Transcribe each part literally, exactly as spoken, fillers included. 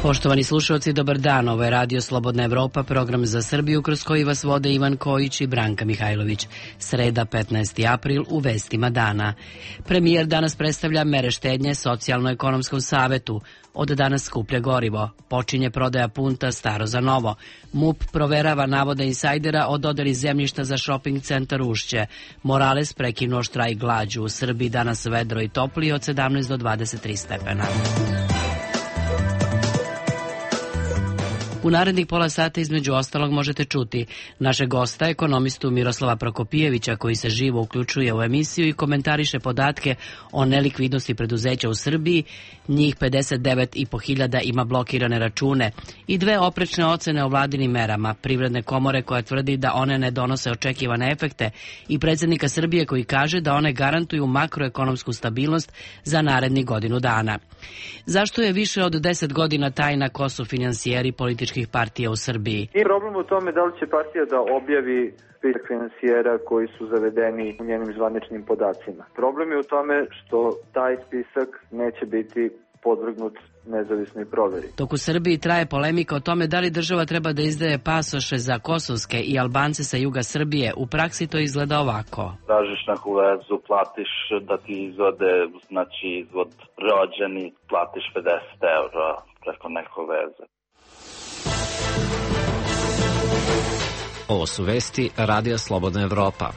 Poštovani slušalci, dobar dan. Ovo je Radio Slobodna Evropa, program za Srbiju kroz koji vas vode Ivan Kojić i Branka Mihajlović. Sreda, petnaesti april, u vestima dana. Premijer danas predstavlja mere štednje Socijalno-ekonomskom savetu. Od danas skuplja gorivo. Počinje prodaja punta staro za novo. MUP proverava navode insajdera o dodeli zemljišta za šoping centar Ušće. Morales prekinuo štrajk glađu. U Srbiji danas vedro i toplije od sedamnaest do dvadeset tri stepena. U narednih pola sata između ostalog možete čuti našeg gosta, ekonomistu Miroslava Prokopijevića, koji se živo uključuje u emisiju i komentariše podatke o nelikvidnosti preduzeća u Srbiji. Njih pedeset devet i po hiljada ima blokirane račune i dve oprečne ocene o vladinim merama. Privredne komore koja tvrdi da one ne donose očekivane efekte i predsjednika Srbije koji kaže da one garantuju makroekonomsku stabilnost za narednih godinu dana. Zašto je više od deset godina tajna ko su finansijeri političkih partija u Srbiji? I problem u tome da li će partija da objavi spisak finansijera koji su zavedeni u njenim zvaničnim podacima. Problem je u tome što taj spisak neće biti podvrgnut nezavisnoj proveri. Dok u Srbiji traje polemika o tome da li država treba da izdaje pasoše za kosovske i Albance sa juga Srbije, u praksi to izgleda ovako. Tražiš neku vezu, platiš da ti izvode, znači izvod rođeni, platiš pedeset eura preko neko veze. Ovo su vesti Radija Slobodna Evropa.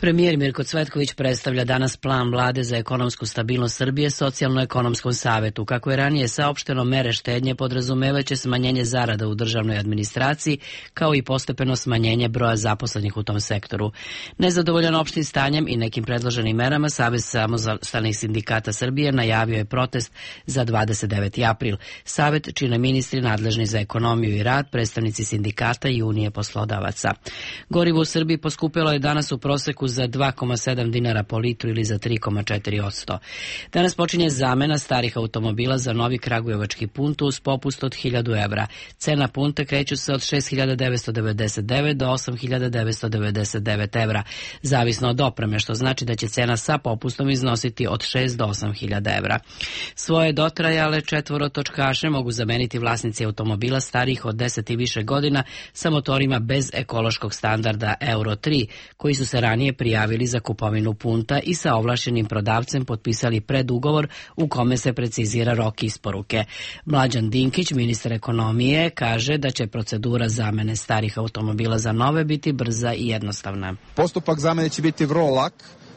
Premijer Mirko Cvetković predstavlja danas plan vlade za ekonomsku stabilnost Srbije Socijalno-ekonomskom savetu. Kako je ranije saopšteno, mere štednje podrazumevaće smanjenje zarada u državnoj administraciji, kao i postepeno smanjenje broja zaposlenih u tom sektoru. Nezadovoljan opštim stanjem i nekim predloženim merama, Savez samostalnih sindikata Srbije najavio je protest za dvadeset deveti april. Savet čine ministri nadležni za ekonomiju i rad, predstavnici sindikata i unije poslodavaca. Gorivo u Srbiji poskupelo je danas u proseku za dva zarez sedam dinara po litru ili za tri zarez četiri posto. Danas počinje zamena starih automobila za novi kragujevački punto uz popust od hiljadu evra. Cena punta kreću se od šest hiljada devetsto devedeset devet do osam hiljada devetsto devedeset devet evra, zavisno od opreme, što znači da će cena sa popustom iznositi od šest do osam hiljada evra. Svoje dotrajale četvorotočkaše mogu zameniti vlasnici automobila starijih od deset i više godina sa motorima bez ekološkog standarda Euro tri, koji su se ranije prijavili za kupovinu punta i sa ovlašćenim prodavcem potpisali predugovor u kome se precizira rok isporuke. Mlađan Dinkić, ministar ekonomije, kaže da će procedura zamene starih automobila za nove biti brza i jednostavna. Postupak zamene će biti vrlo lak.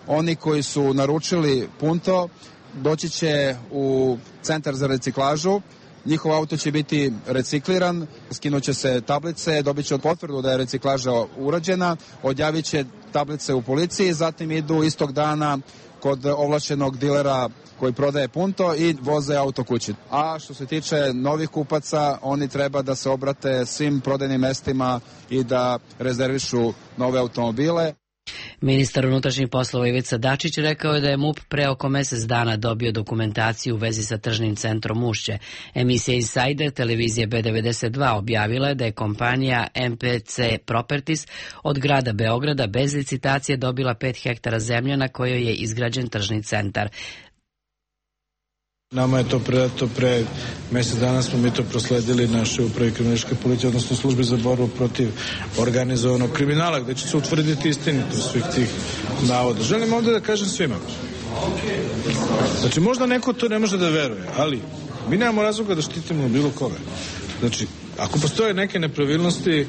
Oni koji su naručili punto doći će u centar za reciklažu. Njihov auto će biti recikliran, skinut će se tablice, dobit će potvrdu da je reciklaža urađena, odjavit će tablice u policiji, zatim idu istog dana kod ovlašćenog dilera koji prodaje punto i voze auto kući. A što se tiče novih kupaca, oni treba da se obrate svim prodajnim mestima i da rezervišu nove automobile. Ministar unutrašnjih poslova Ivica Dačić rekao je da je MUP pre oko mesec dana dobio dokumentaciju u vezi sa tržnim centrom Ušće. Emisija Insider televizije B devedeset dva objavila je da je kompanija M P C Properties od grada Beograda bez licitacije dobila pet hektara zemlje na kojoj je izgrađen tržni centar. Nama je to predato pre mjesec dana, smo mi to prosledili našoj upravi kriminalističke policije, odnosno službi za borbu protiv organizovanog kriminala, gde će se utvrditi istinitost svih tih navoda. Želim ovdje da kažem svima. Znači, možda neko to ne može da veruje, ali mi nemamo razloga da štitimo bilo koga. Znači, ako postoje neke nepravilnosti, e,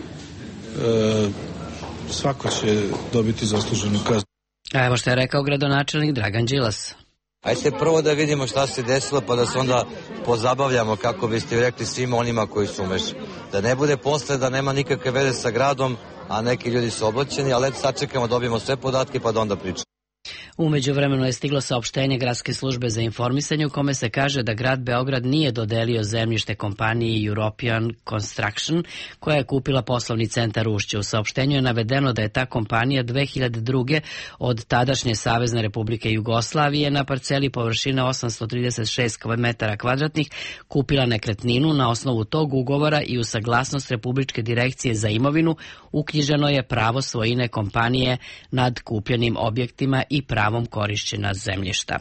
svako će dobiti zasluženu kaznu. A evo što je rekao gradonačelnik Dragan Đilas. Ajde prvo da vidimo šta se desilo, pa da se onda pozabavljamo, kako biste rekli, svima onima koji su umešani. Da ne bude posle da nema nikakve veze sa gradom, a neki ljudi su oblačeni, ali eto sačekamo, dobijemo sve podatke pa da onda pričamo. U međuvremenu je stiglo saopštenje Gradske službe za informisanje u kome se kaže da grad Beograd nije dodelio zemljište kompaniji European Construction koja je kupila poslovni centar Ušće. U saopštenju je navedeno da je ta kompanija dve hiljade druge od tadašnje Savezne Republike Jugoslavije na parceli površine osamsto trideset šest metara kvadratnih kupila nekretninu. Na osnovu tog ugovora i u saglasnost Republičke direkcije za imovinu uknjiženo je pravo svojine kompanije nad kupljenim objektima i pravom korišćenja zemljišta.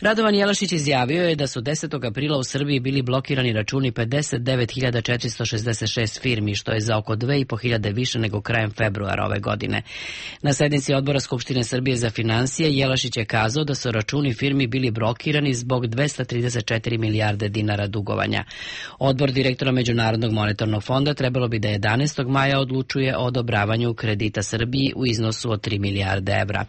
Radovan Jelašić izjavio je da su desetog aprila u Srbiji bili blokirani računi pedeset devet hiljada četiristo šezdeset šest firmi, što je za oko dve i po hiljade više nego krajem februara ove godine. Na sednici Odbora Skupštine Srbije za finansije Jelašić je kazao da su računi firmi bili blokirani zbog dvesta trideset četiri milijarde dinara dugovanja. Odbor direktora Međunarodnog monetarnog fonda trebalo bi da jedanaestog maja odlučuje o odobravanju kredita Srbiji u iznosu od tri milijarde evra.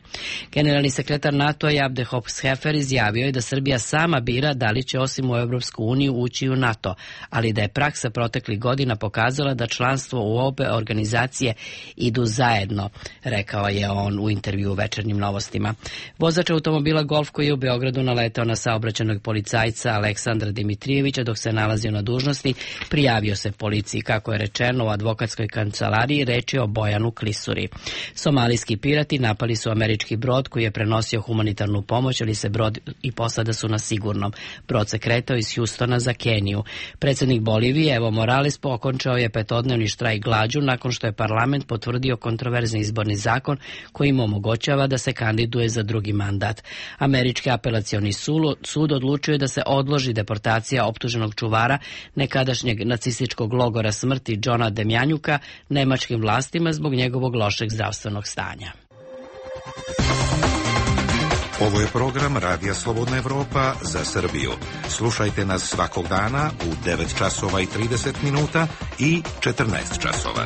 Generalni sekretar NATO Abde Hoxhefer izjavio je da Srbija sama bira da li će osim u Evropsku uniju ući u NATO, ali da je praksa proteklih godina pokazala da članstvo u obe organizacije idu zajedno, rekao je on u intervju u Večernjim novostima. Vozač automobila Golf koji je u Beogradu naletao na saobraćajnog policajca Aleksandra Dimitrijevića dok se nalazio na dužnosti, prijavio se policiji. Kako je rečeno u advokatskoj kancelariji, reč je o Bojanu Klisuri. Somalijski pirati napali su američki brod koji je prenosio humanitarnu pomoć, ali se brod i posada su na sigurnom. Brod se kretao iz Hjustona za Keniju. Predsjednik Bolivije Evo Morales okončao je petodnevni štrajk glađu nakon što je parlament potvrdio kontroverzni izborni zakon koji im omogućava da se kandiduje za drugi mandat. Američki apelacioni sud odlučuje da se odloži deportacija optuženog čuvara nekadašnjeg nacističkog logora smrti Džona Demjanjuka nemačkim vlastima zbog njegovog lošeg zdravstvenog stanja. Ovo je program Radija Slobodna Evropa za Srbiju. Slušajte nas svakog dana u devet časova i trideset minuta i četrnaest časova.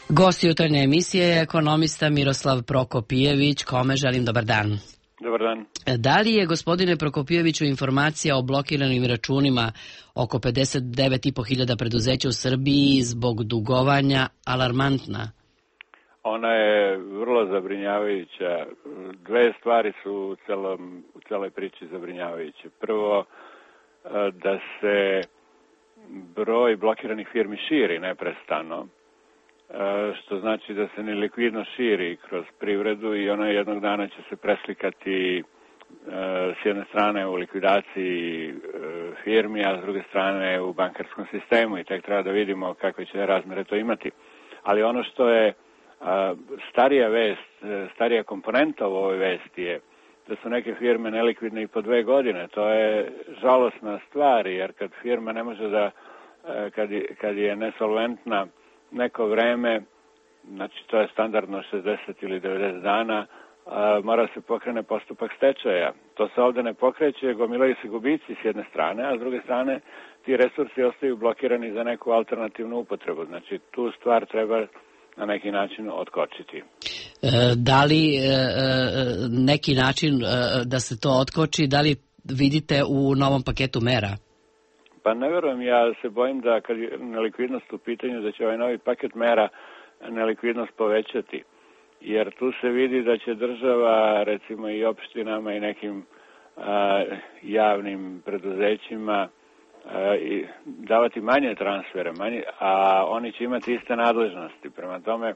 Gost jutarnje emisije je ekonomista Miroslav Prokopijević, kome želim dobar dan. Dobar dan. Da li je, gospodine Prokopijeviću, informacija o blokiranim računima oko pedeset devet i po hiljada preduzeća u Srbiji zbog dugovanja alarmantna? Ona je vrlo zabrinjavajuća. Dve stvari su u, celom, u celoj priči zabrinjavajuće. Prvo, da se broj blokiranih firmi širi neprestano, što znači da se nelikvidnost širi kroz privredu i ona jednog dana će se preslikati s jedne strane u likvidaciji firmi, a s druge strane u bankarskom sistemu i tek treba da vidimo kakve će razmere to imati. Ali ono što je starija vest, starija komponenta u ovoj vesti je da su neke firme nelikvidne i po dve godine. To je žalosna stvar, jer kad firma ne može da, kad, kad je nesolventna neko vreme, znači to je standardno šezdeset ili devedeset dana, a, mora se pokrene postupak stečaja. To se ovde ne pokreće, gomilaju se gubici s jedne strane, a s druge strane ti resursi ostaju blokirani za neku alternativnu upotrebu. Znači tu stvar treba na neki način otkočiti. Da li neki način da se to otkoči, da li vidite u novom paketu mera? Pa ne verujem, ja se bojim da kad je nelikvidnost u pitanju, da će ovaj novi paket mera nelikvidnost povećati. Jer tu se vidi da će država, recimo i opštinama i nekim a, javnim preduzećima a, i davati manje transfere, manje, a oni će imati iste nadležnosti. Prema tome,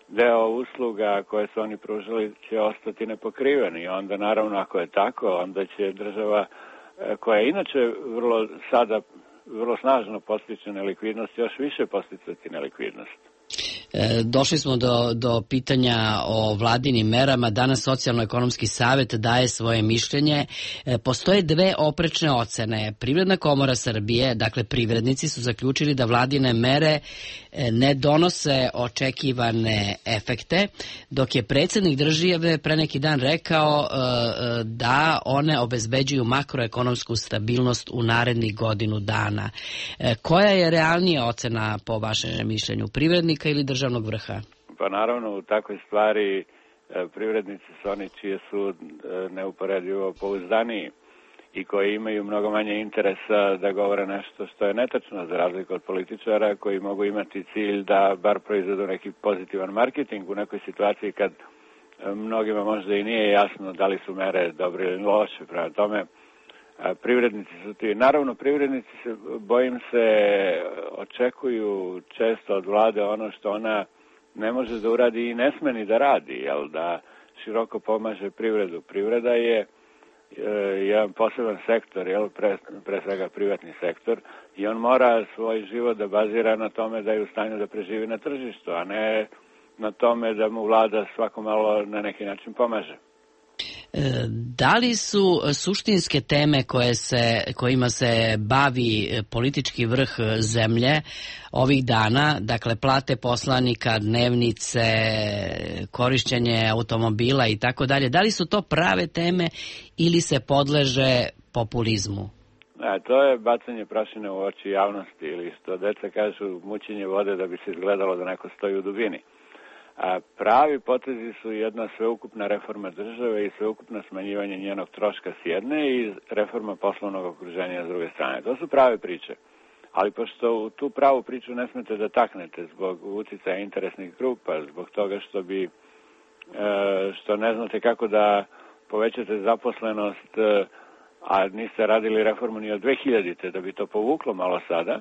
deo usluga koje su oni pružili će ostati nepokriveni. I onda, naravno, ako je tako, onda će država, koja je inače vrlo sada vrlo snažno postiče nelikvidnost, još više posticati nelikvidnost. Došli smo do, do pitanja o vladinim merama. Danas Socijalno-ekonomski savet daje svoje mišljenje. Postoje dve oprečne ocene. Privredna komora Srbije, dakle privrednici, su zaključili da vladine mere ne donose očekivane efekte, dok je predsjednik države pre neki dan rekao da one obezbeđuju makroekonomsku stabilnost u narednih godinu dana. Koja je realnija ocena po vašem mišljenju, privrednika ili državnog vrha? Pa naravno, u takvoj stvari privrednici su oni čije su neuporedivo pouzdaniji i koji imaju mnogo manje interesa da govore nešto što je netačno, za razliku od političara koji mogu imati cilj da bar proizvedu neki pozitivan marketing u nekoj situaciji kad mnogima možda i nije jasno da li su mere dobre ili loše. Prema tome, privrednici su ti. Naravno, privrednici se, bojim se, očekuju često od vlade ono što ona ne može da uradi i ne sme ni da radi, jel, da široko pomaže privredu. Privreda je jedan poseban sektor, jel, pre, pre svega privatni sektor, i on mora svoj život da bazira na tome da je u stanju da preživi na tržištu, a ne na tome da mu vlada svako malo na neki način pomaže. Da li su suštinske teme koje se, kojima se bavi politički vrh zemlje ovih dana, dakle plate poslanika, dnevnice, korišćenje automobila i tako dalje, da li su to prave teme ili se podleže populizmu? Ne, to je bacanje prašine u oči javnosti ili što deca kažu mućenje vode da bi se izgledalo da neko stoji u dubini. A pravi potezi su jedna sveukupna reforma države i sveukupno smanjivanje njenog troška s jedne i reforma poslovnog okruženja s druge strane. To su prave priče. Ali pošto u tu pravu priču ne smete da taknete zbog uticaja interesnih grupa, zbog toga što bi što ne znate kako da povećate zaposlenost, a niste radili reformu ni od dve hiljadite da bi to povuklo malo sada,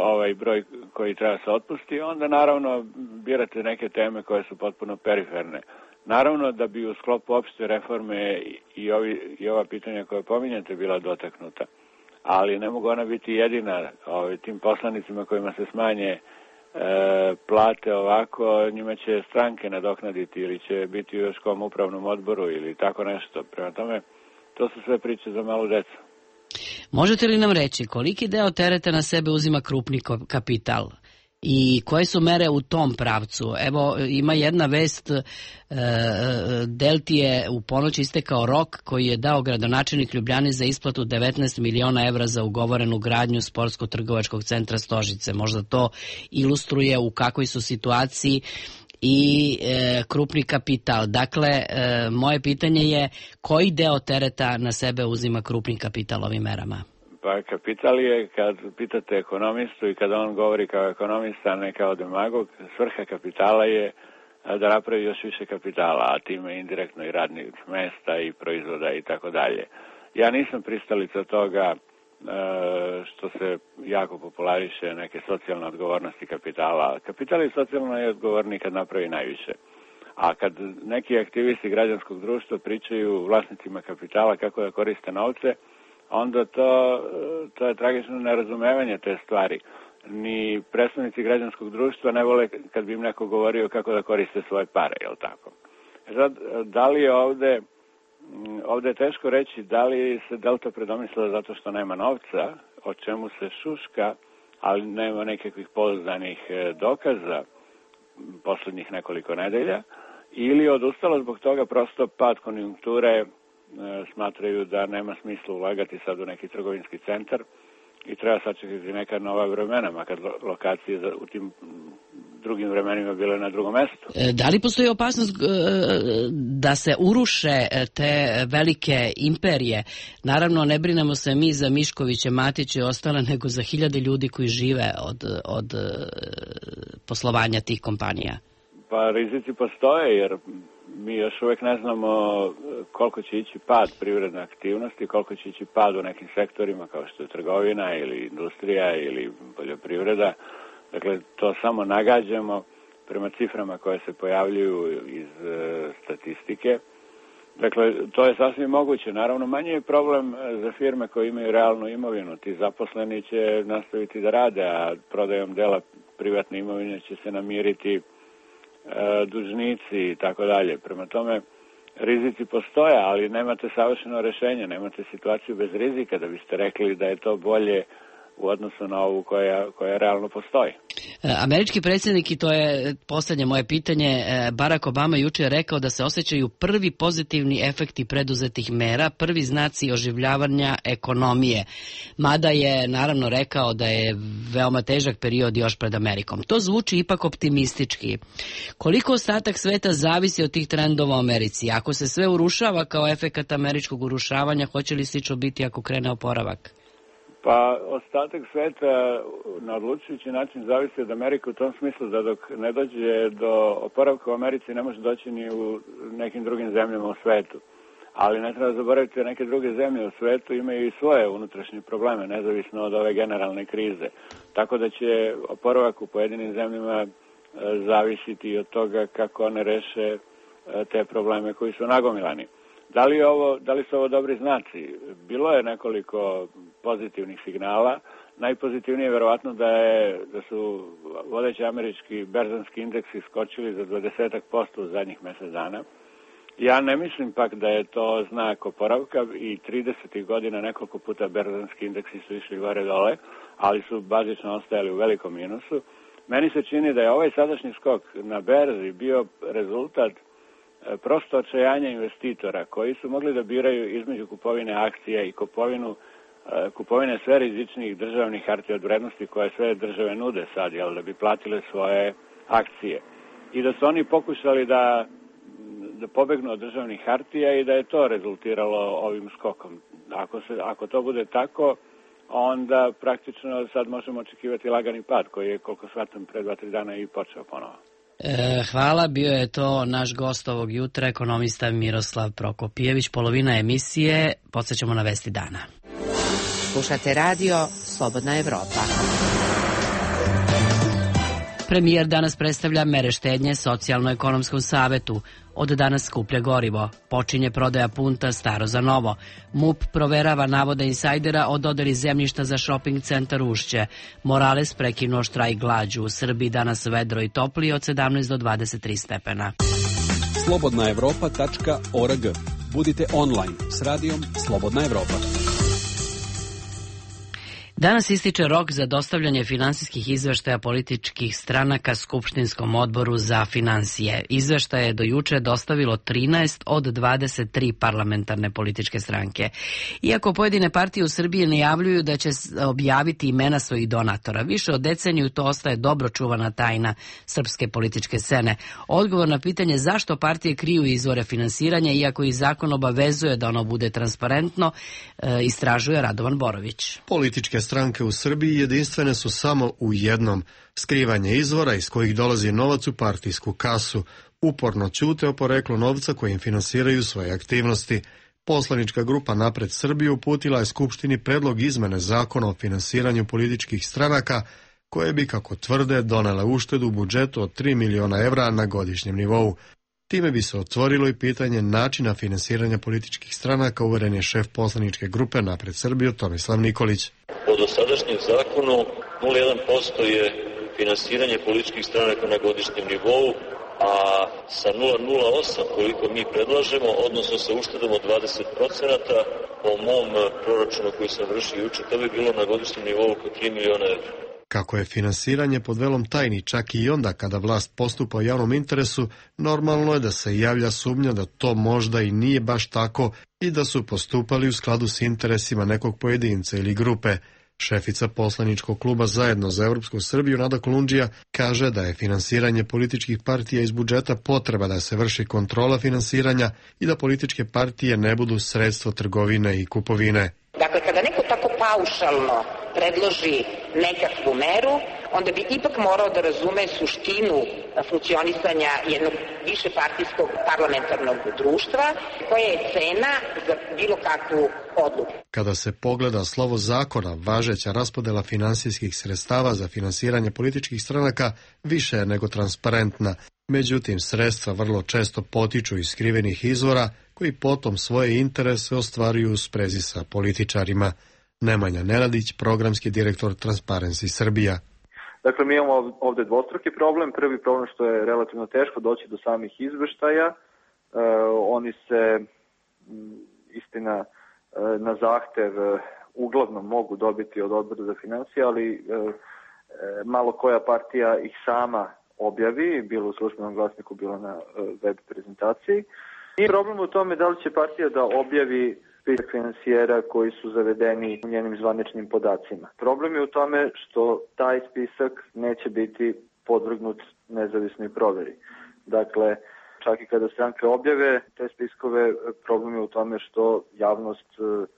ovaj broj koji treba se otpusti, onda naravno birate neke teme koje su potpuno periferne. Naravno da bi u sklopu opšte reforme i, ovi, i ova pitanja koje pominjate bila dotaknuta, ali ne mogu ona biti jedina. Ovaj, tim poslanicima kojima se smanje e, plate ovako, njima će stranke nadoknaditi ili će biti u još kom upravnom odboru ili tako nešto. Prema tome, to su sve priče za malu decu. Možete li nam reći koliki deo tereta na sebe uzima krupni kapital i koje su mere u tom pravcu? Evo, ima jedna vest, e, Delti je u ponoć istekao rok koji je dao gradonačelnik Ljubljane za isplatu devetnaest miliona evra za ugovorenu gradnju sportsko-trgovačkog centra Stožice. Možda to ilustruje u kakvoj su situaciji i e, krupni kapital. Dakle, e, moje pitanje je koji deo tereta na sebe uzima krupni kapital ovim merama? Pa kapital je, kad pitate ekonomistu i kada on govori kao ekonomista, a ne kao demagog, svrha kapitala je da napravi još više kapitala, a time indirektno i radnih mesta i proizvoda i tako dalje. Ja nisam pristalica toga što se jako populariše neke socijalne odgovornosti kapitala. Kapital je socijalno i odgovorni kad napravi najviše. A kad neki aktivisti građanskog društva pričaju vlasnicima kapitala kako da koriste novce, onda to, to je tragično nerazumevanje te stvari. Ni predstavnici građanskog društva ne vole kad bi im neko govorio kako da koriste svoje pare, jel tako? Sad, da li je ovde Ovde je teško reći da li se Delta predomislila zato što nema novca, o čemu se šuška, ali nema nekakvih pouzdanih dokaza poslednjih nekoliko nedelja, ili odustala zbog toga prosto pad konjunkture, smatraju da nema smisla ulagati sad u neki trgovinski centar i treba sačekati neka nova vremena, makar lokacije u tim drugim vremenima bile na drugom mestu. Da li postoji opasnost da se uruše te velike imperije? Naravno, ne brinemo se mi za Miškoviće, Matiće i ostale, nego za hiljade ljudi koji žive od, od poslovanja tih kompanija. Pa rizici postoje, jer mi još uvek ne znamo koliko će ići pad privredne aktivnosti, koliko će ići pad u nekim sektorima kao što je trgovina ili industrija ili poljoprivreda. Dakle, to samo nagađamo prema ciframa koje se pojavljuju iz e, statistike. Dakle, to je sasvim moguće. Naravno, manje je problem za firme koje imaju realnu imovinu. Ti zaposleni će nastaviti da rade, a prodajom dela privatne imovine će se namiriti e, dužnici i tako dalje. Prema tome, rizici postoje, ali nemate savršeno rešenje, nemate situaciju bez rizika da biste rekli da je to bolje u odnosu na ovu koja, koja realno postoji. Američki predsjednik, i to je poslednje moje pitanje, Barack Obama juče je rekao da se osjećaju prvi pozitivni efekti preduzetih mera, prvi znaci oživljavanja ekonomije. Mada je naravno rekao da je veoma težak period još pred Amerikom. To zvuči ipak optimistički. Koliko ostatak sveta zavisi od tih trendova u Americi? Ako se sve urušava kao efekat američkog urušavanja, hoće li slično biti ako krene oporavak? Pa ostatak sveta na odlučujući način zavisi od Amerike u tom smislu da dok ne dođe do oporavka u Americi ne može doći ni u nekim drugim zemljama u svetu. Ali ne treba zaboraviti da neke druge zemlje u svetu imaju i svoje unutrašnje probleme, nezavisno od ove generalne krize. Tako da će oporavak u pojedinim zemljama zavisiti od toga kako one reše te probleme koji su nagomilani. Da li, ovo, da li su ovo dobri znaci? Bilo je nekoliko pozitivnih signala. Najpozitivnije je verovatno da, je, da su vodeći američki berzanski indeksi skočili za dvadeset posto u zadnjih mjesec dana. Ja ne mislim pak da je to znak oporavka i tridesetih godina nekoliko puta berzanski indeksi su išli gore dole, ali su bazično ostajali u velikom minusu. Meni se čini da je ovaj sadašnji skok na berzi bio rezultat prosto očajanja investitora koji su mogli da biraju između kupovine akcija i kupovinu kupovine sve rizičnijih državnih hartija od vrednosti koje sve države nude sad, jel, da bi platile svoje akcije. I da su oni pokušali da, da pobegnu od državnih hartija i da je to rezultiralo ovim skokom. Ako, se, ako to bude tako, onda praktično sad možemo očekivati lagani pad koji je, koliko shvatam, pre dva, tri dana i počeo ponovo. E, hvala, bio je to naš gost ovog jutra, ekonomista Miroslav Prokopijević. Polovina emisije, podsjećamo na vesti dana. Slušate radio Slobodna Evropa. Premijer danas predstavlja mere štednje Socijalno-ekonomskom savetu. Od danas skuplje gorivo. Počinje prodaja punta staro za novo. MUP proverava navode insajdera o dodeli zemljišta za shopping centar Ušće. Morales prekinuo štrajk glađu. U Srbiji danas vedro i toplije od sedamnaest do dvadeset tri stepena. slobodna evropa tačka org. Budite online s radijom Slobodna Evropa. Danas ističe rok za dostavljanje finansijskih izveštaja političkih stranaka Skupštinskom odboru za finansije. Izveštaje je do juče dostavilo trinaest od dvadeset tri parlamentarne političke stranke. Iako pojedine partije u Srbiji najavljuju da će objaviti imena svojih donatora, više od deceniju to ostaje dobro čuvana tajna srpske političke scene. Odgovor na pitanje zašto partije kriju izvore finansiranja, iako i zakon obavezuje da ono bude transparentno, istražuje Radovan Borović. Političke stranke u Srbiji jedinstvene su samo u jednom: skrivanje izvora iz kojih dolazi novac u partijsku kasu. Uporno ćute o poreklu novca kojim finansiraju svoje aktivnosti. Poslanička grupa Napred Srbiju uputila je Skupštini predlog izmene zakona o finansiranju političkih stranaka, koje bi, kako tvrde, donele uštedu u budžetu od tri miliona evra na godišnjem nivou. Time bi se otvorilo i pitanje načina finansiranja političkih stranaka, uveren je šef poslaničke grupe Napred Srbiju Tomislav Nikolić. Po dosadašnjem zakonu nula zarez jedan posto je finansiranje političkih stranaka na godišnjem nivou, a sa nula zarez nula osam koliko mi predlažemo, odnosno sa uštedom od dvadeset procenata, po mom proračunu koji sam vršio juče, to bi bilo na godišnjem nivou oko tri miliona evra. Kako je finansiranje pod velom tajni čak i onda kada vlast postupa u javnom interesu, normalno je da se javlja sumnja da to možda i nije baš tako i da su postupali u skladu s interesima nekog pojedinca ili grupe. Šefica poslaničkog kluba Zajedno za Evropsku Srbiju Nada Kolundžija kaže da je finansiranje političkih partija iz budžeta potreba da se vrši kontrola finansiranja i da političke partije ne budu sredstvo trgovine i kupovine. Dakle, kada neko tako paušalno predloži nekakvu meru, onda bi ipak morao da razume suštinu funkcionisanja jednog višepartijskog parlamentarnog društva, koja je cena za bilo kakvu odluku. Kada se pogleda slovo zakona, važeća raspodela finansijskih sredstava za finansiranje političkih stranaka više je nego transparentna. Međutim, sredstva vrlo često potiču iz skrivenih izvora, koji potom svoje interese ostvaruju u sprezi sa političarima. Nemanja Nenadić, programski direktor Transparency Srbija. Dakle, mi imamo ovde dvostruki problem. Prvi problem što je relativno teško doći do samih izveštaja. E, oni se, istina, na zahtev uglavnom mogu dobiti od Odbora za finansije, ali e, malo koja partija ih sama objavi, bilo u službenom glasniku, bilo na web prezentaciji. I problem u tome da li će partija da objavi spisak finansijera koji su zavedeni u njenim zvaničnim podacima. Problem je u tome što taj spisak neće biti podvrgnut nezavisnoj proveri. Dakle, čak i kada stranke objave te spiskove, problem je u tome što javnost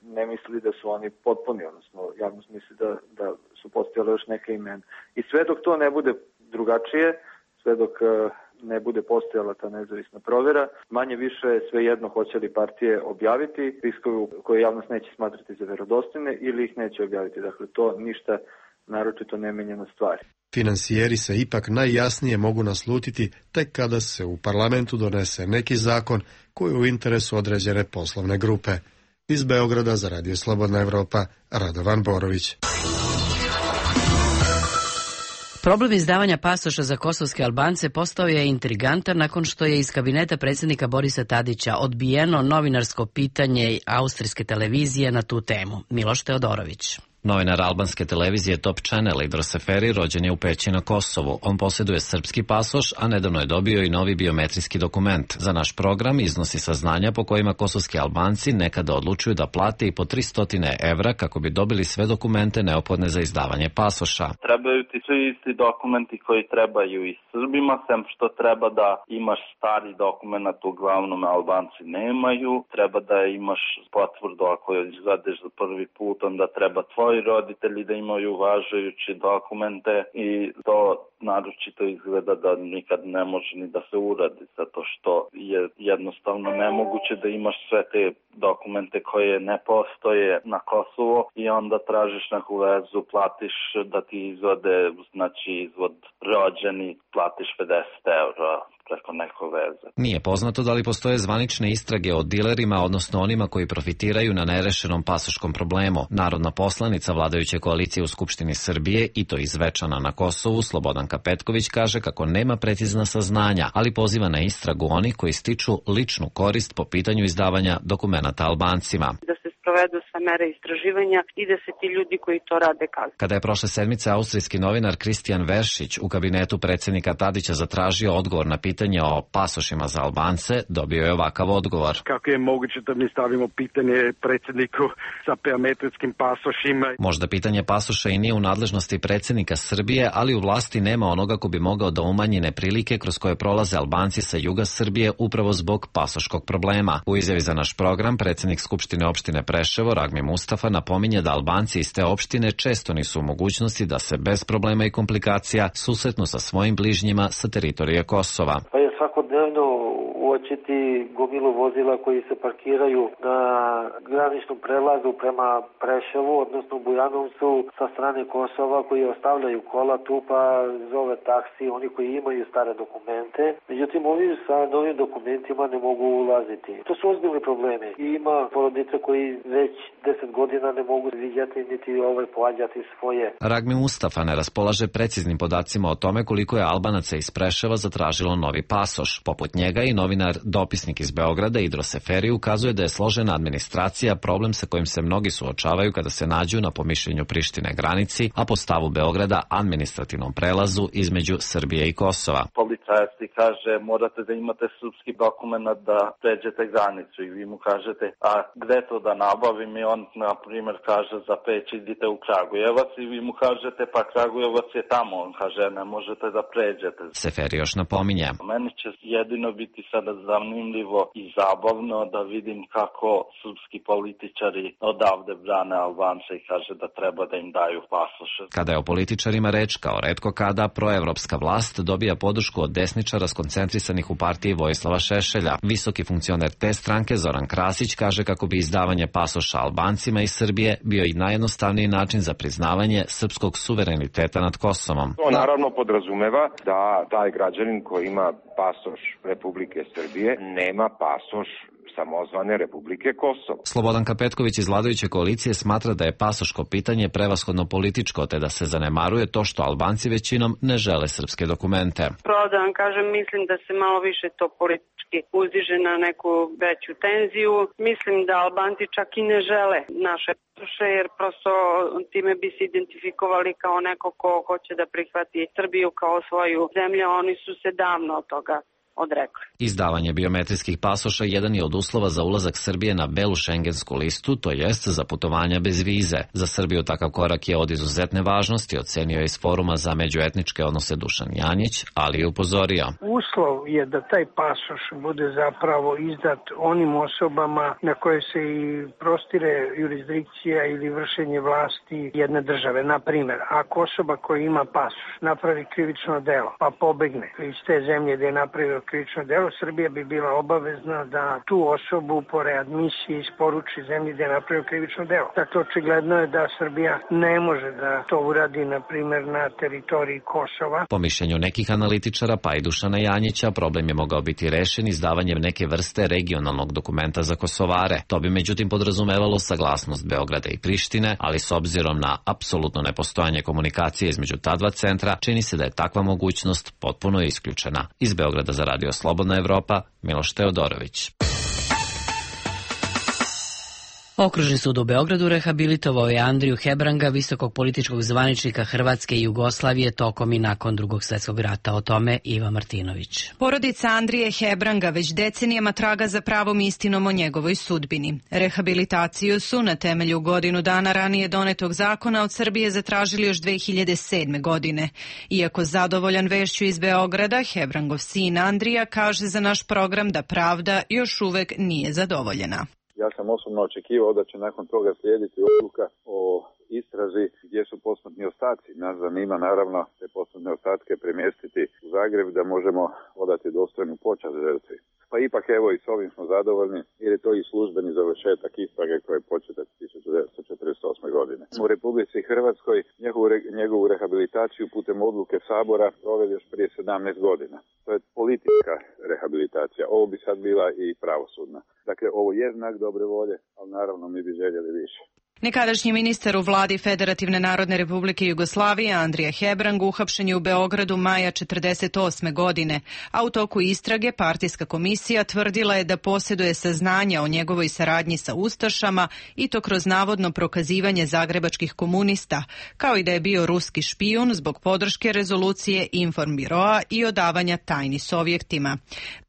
ne misli da su oni potpuni, odnosno javnost misli da, da su postojale još neke imena. I sve dok to ne bude drugačije, sve dok ne bude postojala ta nezavisna provera, manje više sve jedno hoće li partije objaviti spiskove koje javnost neće smatrati za verodostojne ili ih neće objaviti. Dakle, to ništa naročito ne menja na stvari. Finansijeri se ipak najjasnije mogu naslutiti tek kada se u parlamentu donese neki zakon koji je u interesu određene poslovne grupe. Iz Beograda za Radio Slobodna Evropa, Radovan Borović. Problem izdavanja pasoša za kosovske Albance postao je intrigantan nakon što je iz kabineta predsjednika Borisa Tadića odbijeno novinarsko pitanje austrijske televizije na tu temu. Miloš Teodorović. Novinar albanske televizije Top Channel Idris Seferi rođen je u Peći na Kosovu. On posjeduje srpski pasoš, a nedavno je dobio i novi biometrijski dokument. Za naš program iznosi saznanja po kojima kosovski Albanci nekada odlučuju da plate i po tristo evra kako bi dobili sve dokumente neophodne za izdavanje pasoša. Trebaju ti svi isti dokumenti koji trebaju i Srbima, sem što treba da imaš stari dokument, uglavnom Albanci nemaju. Treba da imaš potvrdu ako izvedeš za prvi put, onda treba tvoj roditelji da imaju uvažajući dokumente i to naročito izgleda da nikad ne može ni da se uradi, zato što je jednostavno nemoguće da imaš sve te dokumente koje ne postoje na Kosovo i onda tražiš neku vezu, platiš da ti izvode, znači izvod rođeni, platiš pedeset evra preko neko veze. Nije poznato da li postoje zvanične istrage o dilerima, odnosno onima koji profitiraju na nerešenom pasoškom problemu. Narodna poslanica vladajuće koalicije u Skupštini Srbije, i to iz Zvečana na Kosovu, Slobodanka Petković kaže kako nema precizna saznanja, ali poziva na istragu onih koji stiču ličnu korist po pitanju izdavanja dokumenata Albancima. Da se sprovedu sve mere istraživanja i da se ti ljudi koji to rade kazne. Kada je prošle sedmice austrijski novinar Kristijan Veršić u kabinetu predsjednika Tadića zatražio odgovor na pitanje o pasošima za Albance, dobio je ovakav odgovor. Kako je moguće da mi stavimo pitanje predsjedniku sa biometrijskim pasošima? Možda pitanje pasoša i nije u nadležnosti predsjednika Srbije, ali u vlasti nema onoga ko bi mogao da umanji neprilike kroz koje prolaze Albanci sa juga Srbije upravo zbog pasoškog problema. U izjavi za naš program predsjednik Skupštine opštine Preševo Ragmi Mustafa napominje da Albanci iz te opštine često nisu u mogućnosti da se bez problema i komplikacija susretnu sa svojim bližnjima sa teritorije Kosova. Pa je svakodnevno uočiti gomilu vozila koji se parkiraju na graničnom prelazu prema Preševu, odnosno Bujanovcu sa strane Kosova, koji ostavljaju kola tu pa zove taksi, oni koji imaju stare dokumente. Međutim, ovi sa novim dokumentima ne mogu ulaziti. To su ozbiljni problemi. I ima porodice koji već deset godina ne mogu vidjeti niti ovaj pohađati svoje. Ragmi Mustafa ne raspolaže preciznim podacima o tome koliko je Albanaca iz Preševa zatražilo novi pasoš. Poput njega i novinar dopisnik iz Beograda Idris Seferi ukazuje da je složena administracija problem sa kojim se mnogi suočavaju kada se nađu na pomišljenju Prištine granici, a po stavu Beograda administrativnom prelazu između Srbije i Kosova. Policajac ti kaže morate da imate srpski dokument da pređete granicu i vi mu kažete a gde to da nabavim i on na primjer kaže za Peć idite u Kragujevac i vi mu kažete pa Kragujevac je tamo, on kaže ne možete da pređete. Seferi još napominje. Meni će jedino biti sada zanimljivo i zabavno da vidim kako srpski političari odavde brane Albance i kaže da treba da im daju pasoše. Kada je o političarima reč, kao retko kada, proevropska vlast dobija podršku od desničara skoncentrisanih u partiji Vojislava Šešelja. Visoki funkcioner te stranke Zoran Krasić kaže kako bi izdavanje pasoša Albancima iz Srbije bio i najjednostavniji način za priznavanje srpskog suvereniteta nad Kosovom. To naravno podrazumeva da taj građanin koji ima pasoš Republike Srbije nema pasoš samozvane Republike Kosovo. Slobodanka Petković iz vladajuće koalicije smatra da je pasoško pitanje prevashodno političko, te da se zanemaruje to što Albanci većinom ne žele srpske dokumente. Pravo da vam kažem, mislim da se malo više to politički uzdiže na neku veću tenziju. Mislim da Albanci čak i ne žele naše pasoše, jer prosto time bi se identifikovali kao neko ko hoće da prihvati Srbiju kao svoju zemlju, oni su se davno od toga odrekli. Izdavanje biometrijskih pasoša jedan je od uslova za ulazak Srbije na belu šengensku listu, to jest za putovanja bez vize. Za Srbiju takav korak je od izuzetne važnosti, ocenio je iz Foruma za međuetničke odnose Dušan Janjić, ali je upozorio. Uslov je da taj pasoš bude zapravo izdat onim osobama na koje se i prostire jurisdikcija ili vršenje vlasti jedne države. Na primjer, ako osoba koja ima pasoš napravi krivično delo pa pobegne iz te zemlje gde je napravio krivično delo, Srbija bi bila obavezna da tu osobu po readmisiji isporuči zemlji gde je napravio krivično delo. Dakle, očigledno je da Srbija ne može da to uradi, na primjer, na teritoriji Kosova. Po mišljenju nekih analitičara, pa i Dušana Janjića, problem je mogao biti rešen izdavanjem neke vrste regionalnog dokumenta za Kosovare. To bi međutim podrazumevalo saglasnost Beograda i Prištine, ali s obzirom na apsolutno nepostojanje komunikacije između ta dva centra, čini se da je takva mogućnost potpuno isključena. Iz Beograda za Radio Slobodna Evropa, Miloš Teodorović. Okružni sud u Beogradu rehabilitovao je Andriju Hebranga, visokog političkog zvaničnika Hrvatske i Jugoslavije tokom i nakon Drugog svjetskog rata. O tome Iva Martinović. Porodica Andrije Hebranga već decenijama traga za pravom istinom o njegovoj sudbini. Rehabilitaciju su na temelju godinu dana ranije donetog zakona od Srbije zatražili još dve hiljade sedme. godine. Iako zadovoljan vešću iz Beograda, Hebrangov sin Andrija kaže za naš program da pravda još uvek nije zadovoljena. Ja sam osobno očekivao da će nakon toga slijediti odluka o istrazi gdje su posmrtni ostaci. Nas zanima naravno te posmrtne ostatke premjestiti u Zagreb da možemo odati dostojnu počast žrtvi. Pa ipak evo i s ovim smo zadovoljni jer je to i službeni završetak istrage koja je početa tisuću devetsto četrdeset osme. godine. U Republici Hrvatskoj njegovu, njegovu rehabilitaciju putem odluke Sabora proveli još prije sedamnaest godina. To je politička rehabilitacija. Ovo bi sad bila i pravosudna. Dakle, ovo je znak dobre volje, ali naravno mi bi željeli više. Nekadašnji ministar u vladi Federativne narodne republike Jugoslavije Andrija Hebrang uhapšen je u Beogradu maja četrdeset osme. godine, a u toku istrage partijska komisija tvrdila je da posjeduje saznanja o njegovoj saradnji sa ustašama i to kroz navodno prokazivanje zagrebačkih komunista, kao i da je bio ruski špijun zbog podrške rezolucije Informbiroa i odavanja tajni Sovjetima.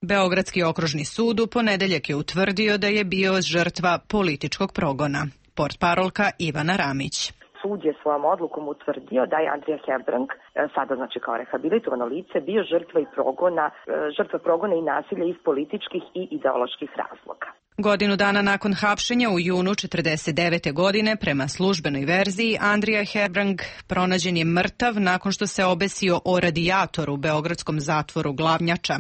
Beogradski okružni sud u ponedeljak je utvrdio da je bio žrtva političkog progona. Portparolka Ivana Ramić. Sud je svojom odlukom utvrdio da je Andrija Hebrang, sada znači kao rehabilitovano lice, bio žrtva i progona, žrtva progona i nasilja iz političkih i ideoloških razloga. Godinu dana nakon hapšenja u junu četrdeset devete. godine, prema službenoj verziji, Andrija Hebrang pronađen je mrtav nakon što se obesio o radijator u beogradskom zatvoru Glavnjača.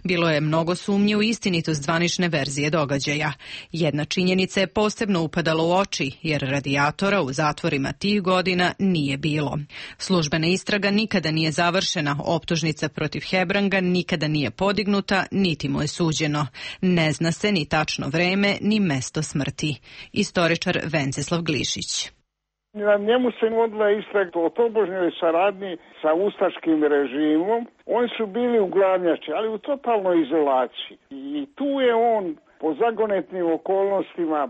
Bilo je mnogo sumnji u istinitost zvanične verzije događaja. Jedna činjenica je posebno upadala u oči, jer radijatora u zatvorima tih godina nije bilo. Službena istraga nikada nije završena, optužnica protiv Hebranga nikada nije podignuta, niti mu je suđeno. Ne zna se ni tačno vreme ni mesto smrti. Istoričar Venceslav Glišić. Na njemu se vodila istraga o tobožnjoj saradnji sa ustaškim režimom. Oni su bili u Glavnjači, ali u totalnoj izolaciji. I tu je on po zagonetnim okolnostima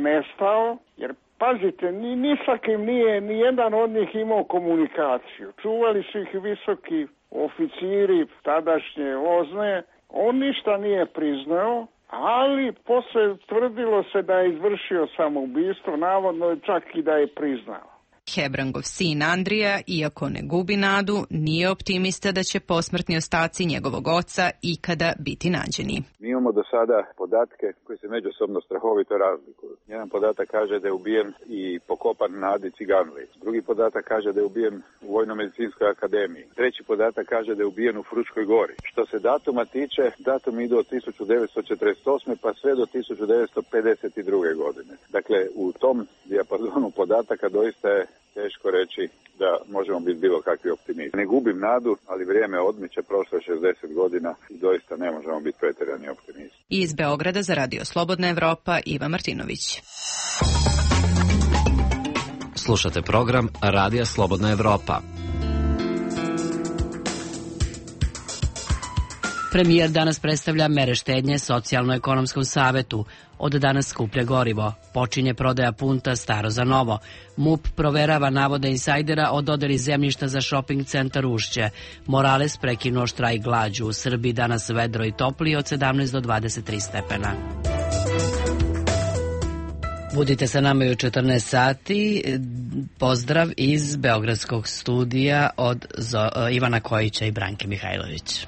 nestao, jer pazite, ni, ni sa kim nije, ni jedan od njih imao komunikaciju. Čuvali su ih visoki oficiri tadašnje Ozne. On ništa nije priznao, ali posle tvrdilo se da je izvršio samoubistvo, navodno čak i da je priznao. Hebrangov sin Andrija, iako ne gubi nadu, nije optimista da će posmrtni ostaci njegovog oca ikada biti nađeni. Mi imamo do sada podatke koji se međusobno strahovito razlikuju. Jedan podatak kaže da je ubijen i pokopan na Adi Ciganli. Drugi podatak kaže da je ubijen u Vojno-medicinskoj akademiji. Treći podatak kaže da je ubijen u Fruškoj gori. Što se datuma tiče, datum ide od tisuću devetsto četrdeset osme. pa sve do tisuću devetsto pedeset druge. godine. Dakle, u tom dijapazonu podataka doista je teško reći da možemo biti bilo kakvi optimisti. Ne gubim nadu, ali vrijeme odmiče, prošlo je šezdeset godina i doista ne možemo biti pretjerani optimisti. Iz Beograda za Radio Slobodna Evropa, Iva Martinović. Slušate program Radija Slobodna Evropa. Premijer danas predstavlja mere štednje Socijalno-ekonomskom savetu. Od danas skuplja gorivo. Počinje prodaja punta staro za novo. MUP proverava navode insajdera o dodeli zemljišta za shopping centar Ušće. Morales prekinuo štrajk glađu. U Srbiji danas vedro i toplije od sedamnaest do dvadeset tri stepena. Budite sa nama i u četrnaest sati. Pozdrav iz Beogradskog studija od Ivana Kojića i Branke Mihajlović.